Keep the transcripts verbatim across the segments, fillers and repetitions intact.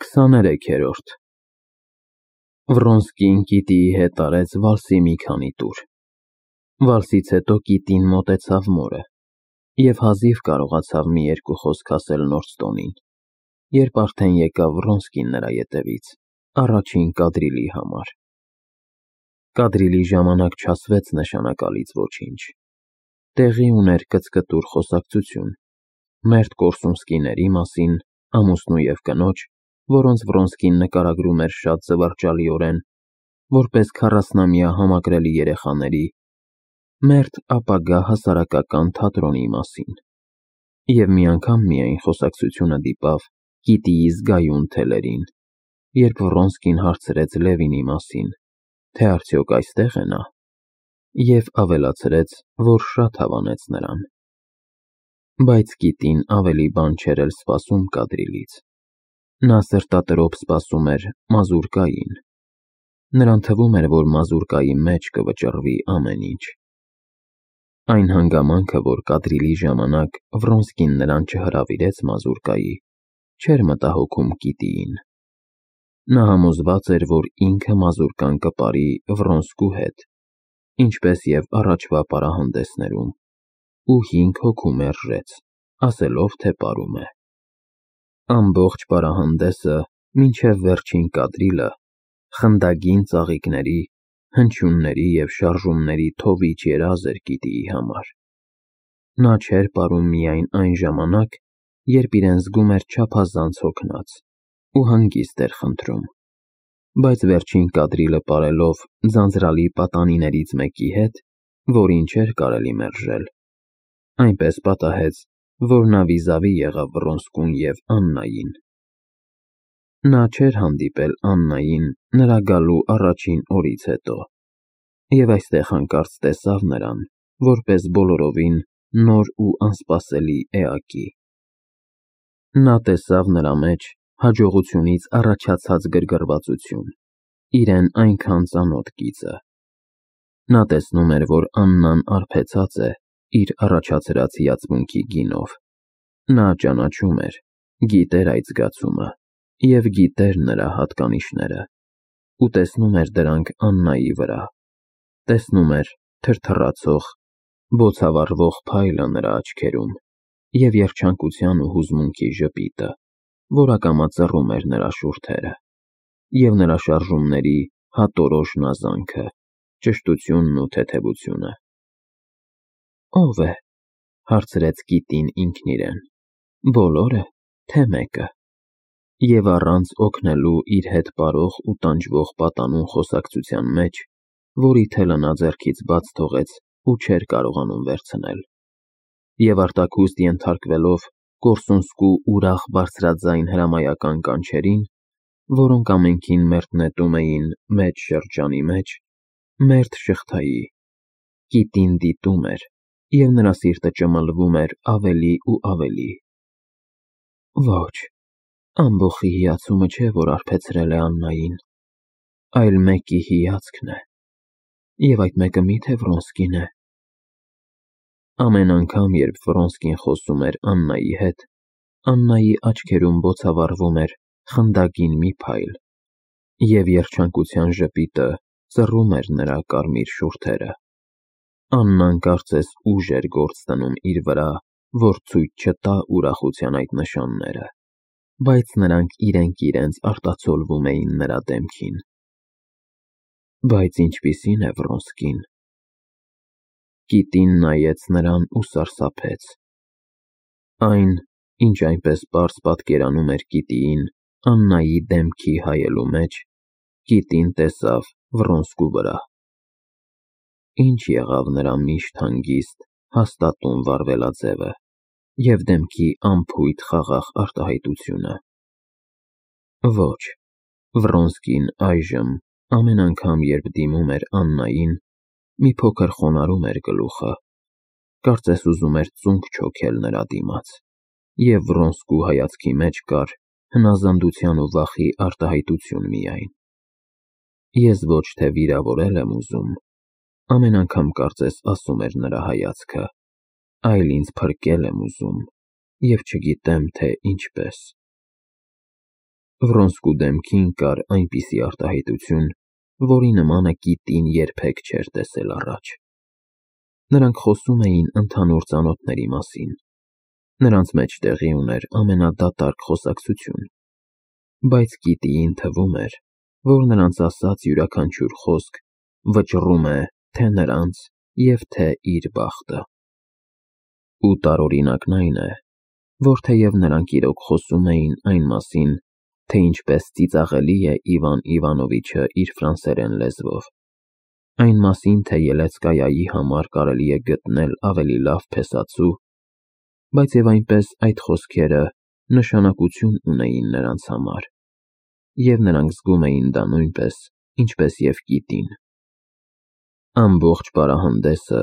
քսաներեքերորդ Վռոնսկին Կիտիի հետ արեց վալսի մի քանի տուր։ Վալսից հետո Կիտին մոտեցավ մորը և հազիվ կարողացավ մի երկու խոսք ասել Նորստոնին, երբ արդեն եկավ Վռոնսկին նրա ետևից, առաջին կադրիլի համար։ Կադրիլի ժամանակ չասվեց նշանակալից ոչինչ։ Տեղի ուներ կծկտուր խոսակցություն մերթ Կորսունսկիների մասին, ամուսնու և կնոջ, որոնց Վռոնսկին նկարագրում էր շատ զվարճալիորեն, որպես քառասնամյա համակրելի երեխաների, մերթ ապագա հասարակական թատրոնի մասին։ Եվ մի անգամ միայն խոսակցությունը դիպավ Կիտիի զգայուն թելերին, երբ Վռոնսկին հարցրեց Լևինի մասին, թե արդյոք այստե՞ղ է նա, և ավելացրեց, որ շատ հավանեց նրան։ Բայց Կիտին ավելի բան չէր էլ սպասում կադրիլից։ Նա սրտատրոփ սպասում էր մազուրկային։ Նրան թվում էր, որ մազուրկայի մեջ կվճռվի ամեն ինչ։ Այն հանգամանքը, որ կադրիլի ժամանակ Վռոնսկին նրան չհրավիրեց մազուրկայի, չէր մտահոգում Կիտիին։ Նա համոզված էր, որ ինքը մազուրկան կպարի Վռոնսկու հետ, ինչպես և առաջվա պարահանդեսներում, ու հինգ հոգու մերժեց, ասելով, թե պարում է։ Ամբողջ պարահանդեսը, մինչև վերջին կադրիլը, խնդագին ծաղիկների, հնչյունների և շարժումների թովիչ երազ էր Կիտիի համար։ Նա չէր պարում միայն այն ժամանակ, երբ իրեն զգում էր չափազանց հոգնած ու հանգիստ էր խնդրում, բայց վերջին կադրիլը պարելով ձանձրալի պատանիներից մեկի հետ, որին չէր կարելի մերժել, այնպես պատահեց, որ նա վիզավի եղավ Վռոնսկուն և Աննային։ Նա չէր հանդիպել Աննային նրա գալու առաջին օրից հետո, և այստեղ հանկարծ տեսավ նրան, որպես բոլորովին նոր ու անսպասելի էակի։ Նա տեսավ նրա մեջ հաջողությունից առաջացած գրգռվածություն, իրեն այնքան ծանոթ գիծը։ Նա տեսնում էր, որ Աննան արբեցած է իր առաջացրած հիացմունքի գինով։ Նա ճանաչում էր, գիտեր այդ զգացումը և գիտեր նրա հատկանիշները, ու տեսնում էր դրանք Աննայի վրա, տեսնում էր թրթռացող, բոցավառվող փայլը նրա աչքերում և երջանկության ու հուզմունքի ժպիտը, որ ակամա ծռում էր նրա շուրթերը, և նրա շարժումների հատորոշ նազանքը, ճշտությունն ու թեթևությունը։ Ո՞վ է,֊ հարցրեց Կիտին ինքն իրեն, բոլորը, թե մեկը։ Եվ առանց օգնելու իր հետ պարող ու տանջվող պատանուն խոսակցության մեջ, որի թելը նա ձեռքից բաց թողեց ու չէր կարողանում վերցնել, և արտաքուստ ենթարկվելով Կորսունսկու ուրախ բարձրաձայն հրամայական կանչերին, որոնք ամենքին մերթ նետում էին մեծ շրջանի մեջ, մերթ շղթայի, Կիտին դիտում էր, և նրա սիրտը ճմլվում էր ավելի ու ավելի։ Ոչ, ամբոխի հիացումը չէ, որ արբեցրել է Աննային, այլ մեկի հիացքն է, և այդ մեկը մի՞թե Վռոնսկին է։ Ամեն անգամ, երբ Վռոնսկին խոսում էր Աննայի հետ, Աննայի աչքերում բոցավառվում էր խնդագին մի փայլ, և երջանկության ժպիտը ծռում էր նրա կարմիր շուրթերը։ Աննան կարծես ուժ էր գործ դնում իր վրա, որ ցույց չտա ուրախության այդ նշանները, բայց նրանք իրենք իրենց արտացոլվում էին նրա դեմքին։ Բայց ինչպիսի՞ն է Վռոնսկին։ Կիտին նայեց նրան ու սարսափեց։ Այն, ինչ այնպես պարզ պատկերանում էր Կիտիին Աննայի դեմքի հայելու մեջ, Կիտին տեսավ Վռոնսկու վրա։ Ինչ եղավ նրա միշտ հանգիստ, հաստատուն վարվելաձևը և դեմքի անփույթ խաղաղ արտահայտությունը։ Ոչ, Վռոնսկին այժմ, ամեն անգամ, երբ դիմում էր Աննային, մի փոքր խոնարհում էր գլուխը, կարծես ուզում էր ծունկ չոքել նրա դիմաց, և Վռոնսկու հայացքի մեջ կար հնազանդության ու վախի արտահայտություն միայն։ Ես ոչ թե վիրավորել եմ ուզում, ամեն անգամ կարծես ասում էր նրա հայացքը, այլ ինձ փրկել եմ ուզում, և չգիտեմ, թե ինչպես։ Վրոնսկու դեմքին կար այնպիսի արտահայտություն, որի նմանը Կիտին երբեք չէր տեսել առաջ։ Նրանք խոսում էին ընդհանուր ծանոթների մասին։ Նրանց մեջ տեղի ուներ ամենադատարկ խոսակցություն, բայց Կիտիին թվում էր, որ նրանց ասած յուրաքանչյուր խոսք վճռում է թե նրանց և թե իր բախտը։ Ու տարօրինակն այն է, որ թեև նրանք իրոք խոսում էին այն մասին, թե ինչպես ծիծաղելի է Իվան Իվանովիչը իր ֆրանսերեն լեզվով, այն մասին, թե Ելեցկայայի համար կարելի է գտնել ավելի լավ փեսացու, բայց և այնպես այդ խոսքերը նշանակություն ունեին նրանց համար, և նրանք զգում էին դա նույնպես, ինչպես և Կիտին։ Ամբողջ պարահանդեսը,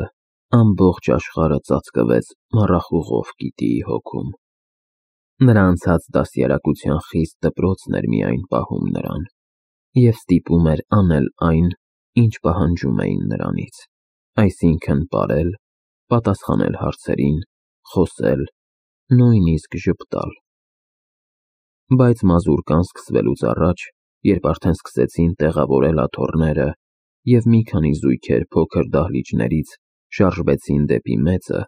ամբողջ աշխարհը ծածկվեց մառախուղով Կիտիի հոգում։ Նրա անցած դաստիարակության խիստ դպրոցն էր միայն պահում նրան, և ստիպում էր անել այն, ինչ պահանջում էին նրանից, այսինքն՝ պարել, պատասխանել հարցերին, խոսել, նույնիսկ ժպտալ։ Բայց մազուրկան սկսվելուց առաջ, երբ արդեն սկսեցին տեղավորել աթոռները, և մի քանի զույգեր փոքր դահլիճներից շարժվեցին դեպի մեծը,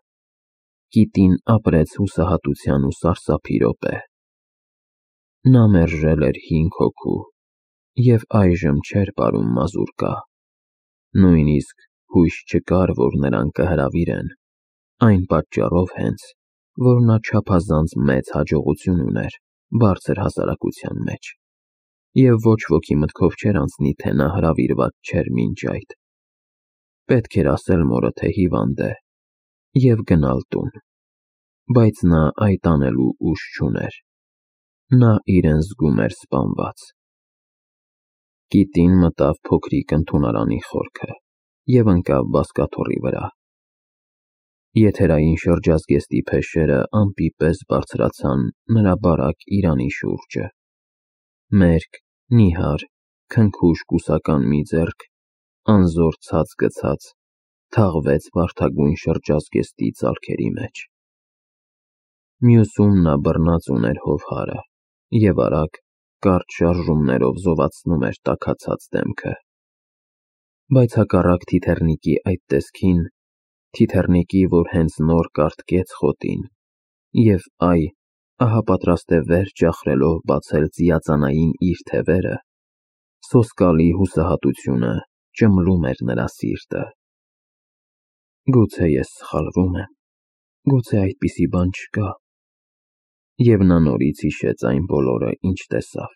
Կիտին ապրեց հուսահատության ու սարսափի րոպե։ Նա մերժել էր հինգ հոգու, և այժմ չէր պարում մազուրկա։ Նույնիսկ հույս չկար, որ նրան կհրավիրեն, այն պատճառով հենց, որ նա չափազանց մեծ հաջողություն ուներ բարձր հասարակության մեջ, և ոչ ոքի մտքով չէր անցնի, թե նա հրավիրված չէր մինչ այդ։ Պետք էր ասել մորը, թե հիվանդ է, և գնալ տուն, բայց նա այդ անելու ուժ չուներ։ Նա իրեն զգում էր սպանված։ Կիտին մտավ փոքրիկ ընդունարանի խորքը և ընկավ բազկաթոռի վրա։ Եթերային շրջազգեստի փեշերը ամպի պես բարձրացան նրա բարակ իրանի շուրջը։ Մերկ, նիհար, քնքուշ կուսական մի ձեռք, անզոր ցած գցած, թաղվեց վարդագույն շրջազգեստի ծալքերի մեջ։ Մյուսում նա բռնած ուներ հովհարը և արագ, կարճ շարժումներով զովացնում էր տաքացած դեմքը։ Բայց հակառակ թիթեռնիկի այդ տեսքին, թիթեռնիկի, որ հենց նոր կառթկեց խոտին, և այ, ահա պատրաստ է վեր ճախրելով բացել ծիածանային իր թևերը, սոսկալի հուսահատությունը ճմլում էր նրա սիրտը։ Գուցե ես սխալվում եմ, գուցե այդպիսի բան չկա։ Եվ նա նորից հիշեց այն բոլորը, ինչ տեսավ։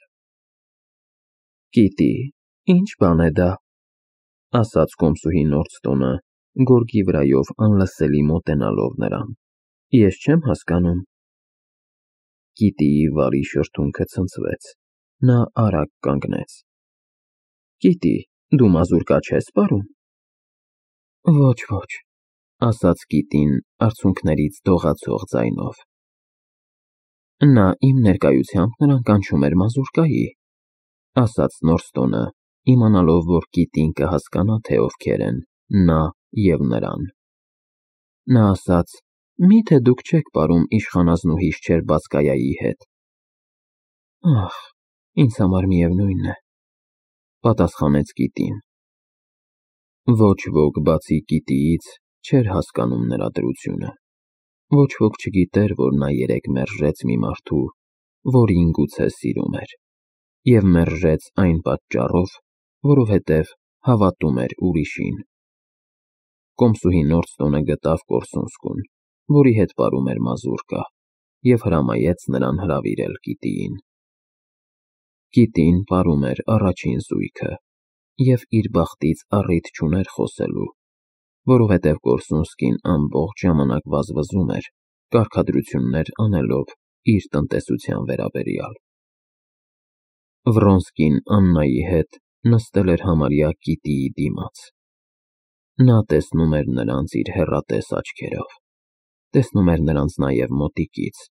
Կիտի, ի՞նչ բան է դա, ասաց կոմսուհի Նորդստոնը, գորգի վրայով անլսելի մոտենալով նրան։ Ես չեմ հասկանում։ Կիտիի վարի շրթունքը ցնցվեց, նա արագ կանգնեց։ Կիտի, դու մազուրկա չես պարում։ Ոչ, ոչ, ասաց Կիտին արցունքներից դողացող ձայնով։ Նա իմ ներկայությամբ նրան կանչում էր մազուրկայի, ասաց Նորստոնը, իմանալով, որ Կիտին կհասկանա, թե ովքեր են նա և նրան։ Նա ասաց. Մի՞թե դուք չեք պարում իշխանազնուհի Շչերբացկայայի հետ։ Ախ, ինձ համար միևնույն է, պատասխանեց Կիտին։ Ոչ ոք բացի Կիտիից չէր հասկանում նրա դրությունը։ Ոչ ոք չգիտեր, որ նա երեկ մերժեց մի մարդու, որին գուցե սիրում էր, և մերժեց այն պատճառով, որովհետև հավատում էր ուրիշին։ Կոմսուհի Նորդստոնը գտավ Կորսունսկուն, որի հետ պարում էր մազուրկա, և հրամայեց նրան հրավիրել Կիտիին։ Կիտին պարում էր առաջին զույգը և իր բախտից առիթ չուներ խոսելու, որովհետև Կորսունսկին ամբողջ ժամանակ վազվզում էր, կարգադրություններ անելով իր տնտեսության վերաբերյալ։ Վրոնսկին Աննայի հետ նստել էր համարյա Կիտիի դիմաց։ Նա տեսնում էր նրանց իր հեռատես աչքերով, տեսնում էր նրանց նաև մոտիկից,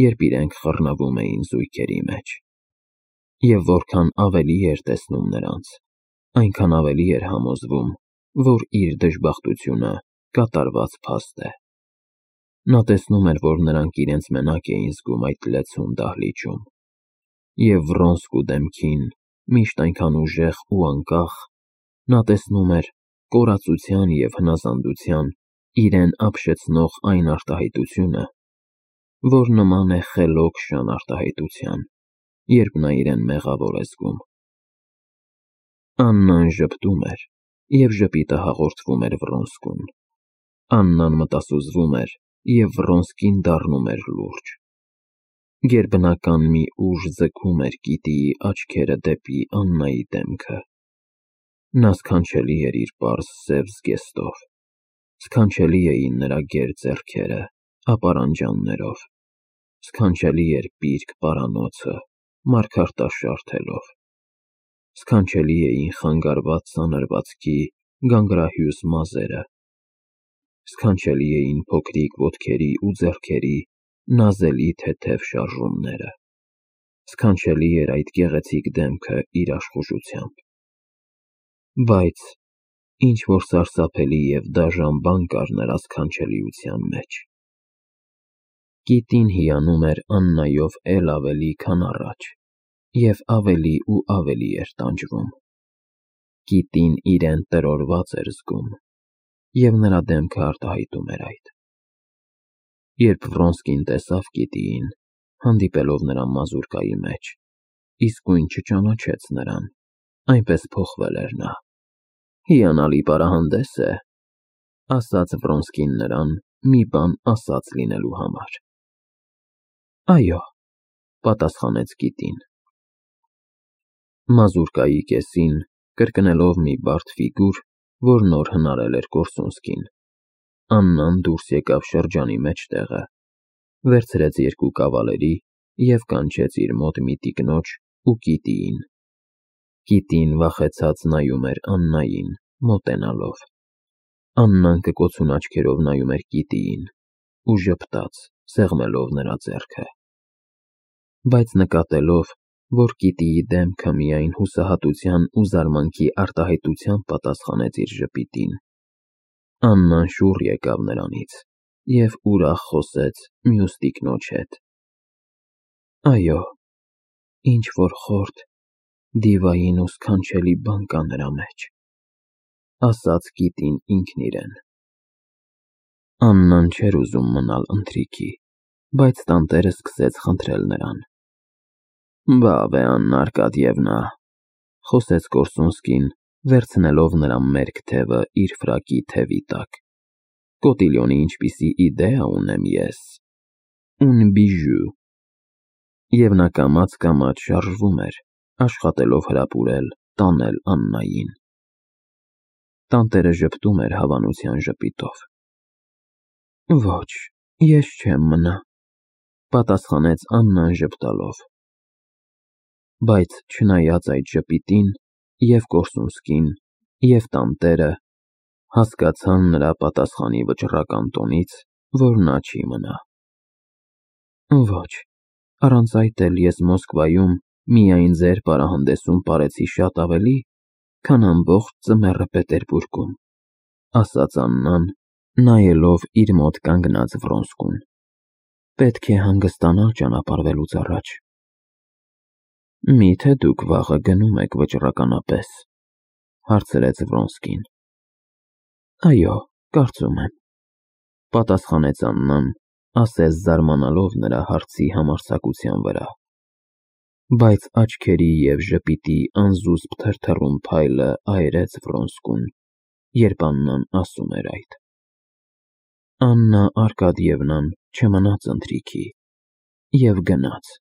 երբ իրենք խռնվում էին զույգերի մեջ։ Եվ որքան ավելի էր տեսնում նրանց, այնքան ավելի էր համոզվում, որ իր դժբախտությունը կատարված փաստ է։ Նա տեսնում էր, որ նրանք իրենց մենակ էին զգում այդ լեցուն դահլիճում։ և Վրոնսկու դեմքին, միշտ այնքան ուժեղ ու անկախ, նա տեսնում էր կորածության և հնազանդության իրեն ապշեցնող այն արտահայտությունը, որ նման է խելոք շան արտահայտության, երբ նա իրեն մեղավոր է զգում։ Աննան ժպտում էր, և ժպիտը հաղորդվում էր Վրոնսկուն։ Աննան մտասուզվում էր, և Վրոնսկին դառնում էր լուրջ։ Գերբնական մի ուժ ձգում էր Կիտիի աչքերը դեպի Աննայի դեմքը։ Նա սքանչելի էր իր պարզ սև զգեստով, սքանչելի էին նրա գեր ձեռքերը ապարանջաններով, սքանչելի էր պիրկ պարանոցը մարգարտաշարթելով, սքանչելի էին խանգարված սանրվածքի գանգրահյուս մազերը, սքանչելի էին փոքրիկ ոտքերի ու ձեռքերի նազելի թեթև շարժումները, սքանչելի էր այդ գեղեցիկ դեմքը իր աշխուժությամբ։ Բայց ինչ-որ սարսափելի և դաժան բան կար նրա սքանչելիության մեջ։ Կիտին հիանում էր Աննայով էլ ավելի, քան առաջ, և ավելի ու ավելի էր տանջվում։ Կիտին իրեն տրորված էր զգում, և նրա դեմքը արտահայտում էր այդ։ Երբ Վրոնսկին տեսավ Կիտիին, հանդիպելով նրա մազուրկայի մեջ, իսկույն չճանաչեց նրան, այնպես փոխվել էր նա։ «Հիանալի պարահանդես է», ասաց Վրոնսկին նրան մի բան ասած լինելու համար։ «Այո», պատասխանեց Կիտին։ Մազուրկայի կեսին, կրկնելով մի բարդ ֆիգուր, որ նոր հնարել էր Կորսունսկին, Աննան դուրս եկավ շրջանի մեջտեղը, վերցրեց երկու կավալերի և կանչեց իր մոտ մի տիկնոջ ու Կիտիին։ Կիտին վախեցած նայում էր Աննային, մոտենալով։ Աննան կկոցուն աչքերով նայում էր Կիտիին ու ժպտաց, սեղմելով նրա ձեռքը։ Բայց նկատելով, որ Կիտիի դեմքը միայն հուսահատության ու զարմանքի արտահայտությամբ պատասխանեց իր ժպիտին, Աննան շուռ եկավ նրանից և ուրախ խոսեց մյուս տիկնոջ հետ։ «Այո, ինչ-որ խորթ, դիվային ու սքանչելի բան կա նրա մեջ», ասաց Կիտին ինքն իրեն։ Աննան չէր ուզում մնալ ընթրիքի, բայց տանտերը սկսեց խնդրել նրան։ «Բավ է, Աննա Արկադիևնա», խոսեց Կորսունսկին, վերցնելով նրա մերկ թևը իր ֆրակի թևի տակ։ «Կոտիլյոնի ինչպիսի իդեա ունեմ ես. un bijou»։ Եվ նա կամաց-կամաց շարժվում էր, աշխատելով հրապուրել, տանել Աննային։ Տանտերը ժպտում էր հավանության ժպիտով։ «Ոչ, ես չեմ մնա», պատասխանեց Աննան ժպտալով։ Բայց չնայած այդ ժպիտին, և Կորսունսկին, և տանտերը հասկացան նրա պատասխանի վճռական տոնից, որ նա չի մնա։ «Ոչ, առանց այդ էլ ես Մոսկվայում միայն ձեր պարահանդեսում պարեցի շատ ավելի, քան ամբողջ ձմեռը Պետերբուրգում», ասաց Աննան, նայելով իր մոտ կանգնած Վրոնսկուն։ «Պետք է հանգստանալ ճանապարհվելուց առաջ»։ «Մի՞թե դուք վաղը գնում եք վճռականապես», հարցրեց Վրոնսկին։ «Այո, կարծում եմ», պատասխանեց Աննան, ասես զարմանալով նրա հարցի համարձակության վրա։ Բայց աչքերի և ժպիտի անզուսպ թրթռուն փայլը այրեց Վրոնսկուն, երբ Աննան ասում էր այդ։ Աննա Արկադիևնան չմնաց ընթրիքի և գնաց։